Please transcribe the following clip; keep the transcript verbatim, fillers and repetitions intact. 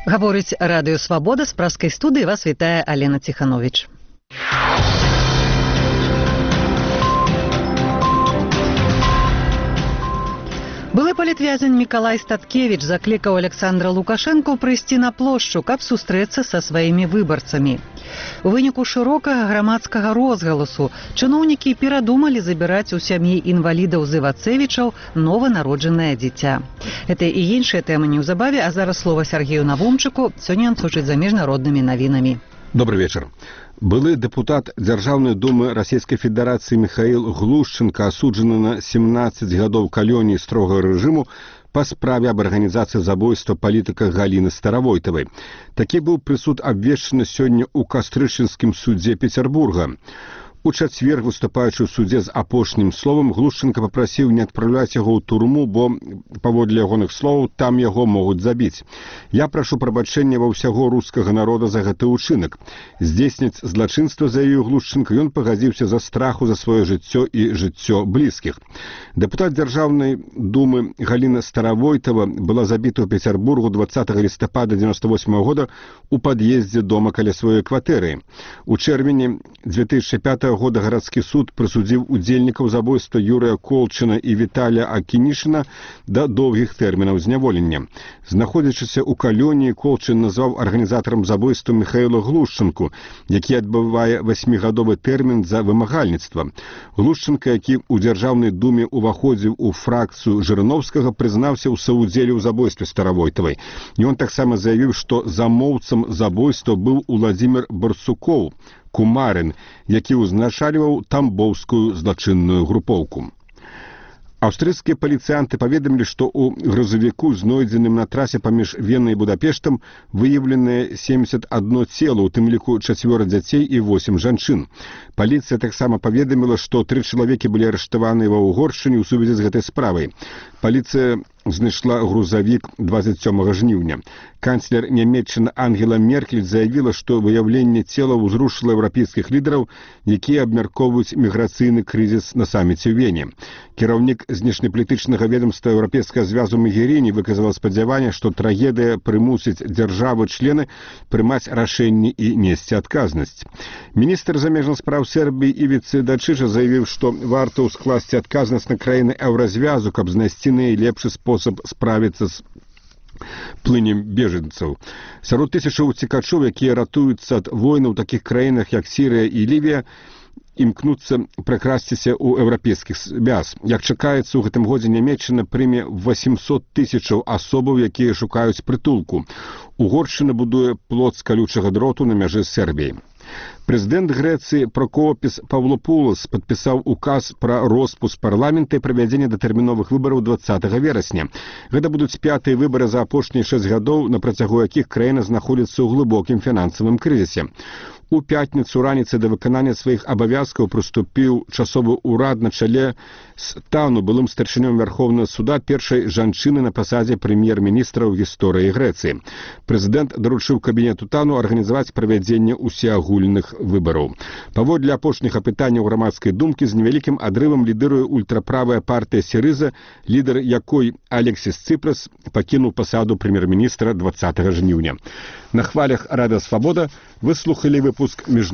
Гаворыць радыё «Свабода», з праскай студыі вас вітае Алена Ціхановіч. Былы палітвязень Мікалай Статкевіч заклікаў Александра Лукашэнку прыйсці на плошчу, каб сустрэцца са сваімі выбарцамі. У выніку шырокага грамадскага розгаласу чыноўнікі перадумалі забіраць у сям'і інвалідаў з Івацэвічаў нованароджанае дзіця. Гэта і іншыя тэмы неўзабаве, а зараз слова Сергею Навумчыку. Сёння ён сочыць за міжнароднымі навінамі. Добрый вечер. Былы дэпутат Дзяржаўнай думы Расійскай Федэрацыі Міхаіл Глушчэнка асуджаны на семнаццаць гадоў калоніі строгага рэжыму па справе аб арганізацыі забойства палітыка Галіны Старавойтавай. Такі быў прысуд абвешчаны сёння ў Кастрычынскім судзе Петербурга. У чацвер, выступаючы ў судзе з апошнім словам, Глушчэнка папрасіў не адпраўляць яго ў турму, бо, паводле ягоных словаў, там яго могуць забіць. Я прашу прабачэння ва ўсяго рускага народа за гэты ўчынак. Здзейсніць злачынства, заявіў Глушчэнка, ён пагадзіўся за страху за сваё жыццё і жыццё блізкіх. Дэпутат Дзяржаўнай думы Галіна Старавойтава была забіта ў Петербургу дваццатага лістапада дзевяносто восьмага года у пад'ездзе дома каля сваёй кватэры. У чэрвені дзве тысячы пятага года гарадскі суд прысудзіў удзельнікаў забойства Юрыя Колчына і Віталія Акінішына да доўгіх тэрмінаў зняволення. Знаходзячыся ў калоніі, Колчын назваў арганізатарам забойства Міхаіла Глушчэнку, які адбывае васьмігадовы тэрмін за вымагальніцтва. Глушчэнка, які ў Дзяржаўнай думе уваходзіў у фракцыю Жырыноўскага, прызнаўся ў саўдзеле ў забойстве Старавойтавай. Ён таксама заявіў, што замоўцам забойства быў Уладзімір Барсукоў, кумарын, які ўзначальваў тамбоўскую злачынную групоўку. Аўстрыйскія паліцыянты паведамілі, што ў грузавіку, знойдзеным на трасе паміж Венай і Будапештам, выяўленыя семдзесят адно цела, у тым ліку чацвёра дзяцей і восем жанчын. Паліцыя таксама паведаміла, што тры чалавекі былі арыштаваныя ва Ўгоршчыне ў сувязі з гэтай справай. Паліцыя знайшла грузавік двадцать сёмага жніўня. Канцлер Нямецчыны Ангела Меркель заявіла, што выяўленне цела ўзрушыла еўрапейскіх лідараў, якія абмяркоўваюць міграцыйны крызіс на саміце ў Вене. Кіраўнік знешнепалітычнага ведомства Еўрапейскага звязу Магеріні выказала спадзяванне, што трагедыя прымусіць дзяржавы-члены прымаць рашэнні і несці адказнасць. Міністр замежных спраў Сербіі Івіцы Дачыжа заявіў, што варта ўскласці адказнасць на краіны еўразвязу, каб знайсці найлепшы спосаб справіцца з плынем бежанцаў. Сярод тысячаў уцекачоў, якія ратуюцца ад войны ў такіх краінах, як Сірыя і Лівія, імкнуцца пракрасціся ў еўрапейскіх звяз. Як чакаецца, у гэтым годзе Нямецчына прыме восемьсот тысячаў асобаў, якія шукаюць прытулку. Угоршчына будуе плот з калючага дроту на мяжы з Сербіяй. Прэзідэнт Грэцыі Прокопіс Павлопулас падпісаў указ пра роспуск парламента і правядзенне датэрміновых выбараў дваццатага верасня. Гэта будуць пятыя выбары за апошнія шэсць гадоў, на працягу якіх краіна знаходзіцца ў глыбокім фінансавым крызісе. У пятніцу раніцай да выканання сваіх абавязкаў прыступіў часовы ўрад на чале з Тану, былым старшынём Вярхоўнага суда, першай жанчыны на пасадзе прэм'ер-міністра ў гісторыі Грэцыі. Прэзідэнт даручыў кабінету Тану арганізаваць правядзенне ўсеагульных выбараў. Паводле апошніх апытанняў грамадскай думкі, з невялікім адрывам лідыруе ультраправая партыя Сірыза, лідар якой Алексіс Цыпрас пакінуў пасаду прэм'ер-міністра дваццатага жніўня. На хвалях радыё «Свабода» вы слухалі выпуск міжнародных